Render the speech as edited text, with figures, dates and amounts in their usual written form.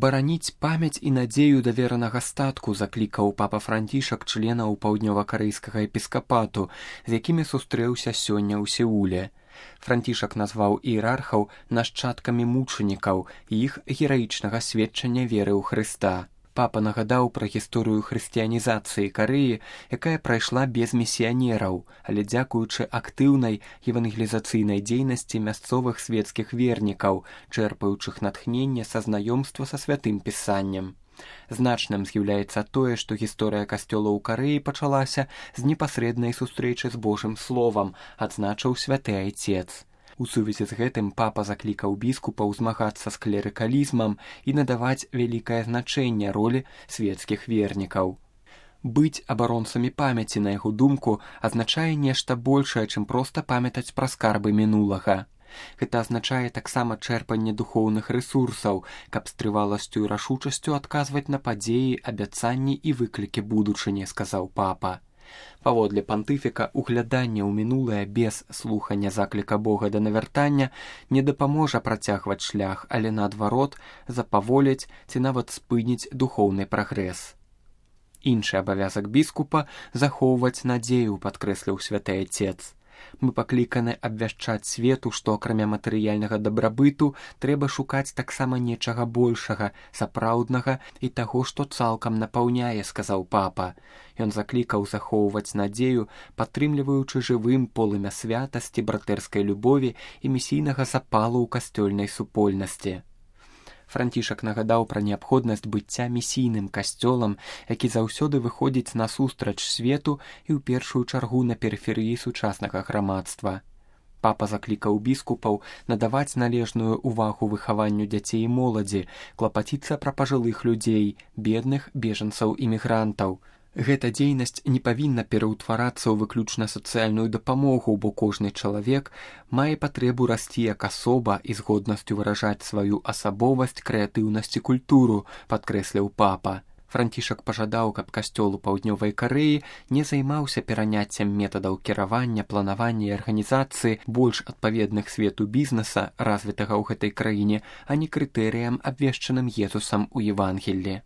Бараніць памяць і надзею даверанага статку заклікаў папа Францішак членаў паўднёва-карэйскага епіскапату, з якімі сустрэўся сёння ў Сеуле. Францішак назваў іерархаў нашчадкамі мучанікаў і іх гераічнага сведчання веры ў Хрыста. Папа нагадаў пра гісторыю хрысціянізацыі Карэі, якая прайшла без місіянераў, але дзякуючы актыўнай евангелізацыйнай дзейнасці мясцовых свецкіх вернікаў, чэрпаючых натхненне са знаёмства са святым пісаннем. Значным з'яўляецца тое, што гісторыя касцёла ў Карэі пачалася з непасрэднай сустрэчы з Божым словам, адзначыў святы айцец. У сувязі з гэтым папа заклікаў біскупаў змагацца з клерыкалізмам і надаваць вялікае значэнне ролі свецкіх вернікаў. Быць абаронцамі памяці, на яго думку, азначае нешта большае, чым проста памятаць пра скарбы мінулага. Гэта азначае таксама чэрпанне духоўных рэсурсаў, каб з трываласцю і рашучасцю адказваць на падзеі, абяцанні і выклікі будучыні, сказаў папа. Паводле пантыфіка, угляданне ў мінулае без слухання закліка Бога да навяртання не дапаможа працягваць шлях, але наадварот запаволіць ці нават спыніць духоўны прагрэс. Іншы абавязак біскупа захоўваць надзею, падкрэсліў святы айцец. Мы пакліканы абвяшчаць свету, што акрамя матэрыяльнага дабрабыту трэба шукаць таксама нечага большага, сапраўднага і таго, што цалкам напаўняе, сказаў папа. Ён заклікаў захоўваць надзею, падтрымліваючы жывым полымя святасці, братэрскай любові і місійнага запалу ў касцёльнай супольнасці. Францішак нагадаў пра неабходнасць быцця місійным касцёлам, які заўсёды выходзіць насустрач свету і ў першую чаргу на перыферыі сучаснага грамадства. Папа заклікаў біскупаў надаваць належную ўвагу выхаванню дзяцей і моладзі, клапаціцца пра пажылых людзей, бедных бежанцаў і мігрантаў. Гэта дзейнасць не павінна пераўтварацца ў выключна сацыяльную дапамогу, бо кожны чалавек мае патрэбу расці як асоба і з годнасцю выражаць сваю асабовасць, крэатыўнасць і культуру, падкрэсліў папа. Францішак пажадаў, каб касцёл у паўднёвай Карэі не займаўся пераняццем метадаў кіравання, планавання і арганізацыі больш адпаведных свету бізнеса, развітага ў гэтай краіне, а не крытэрыям, абвешчаным Езусам у Евангеллі.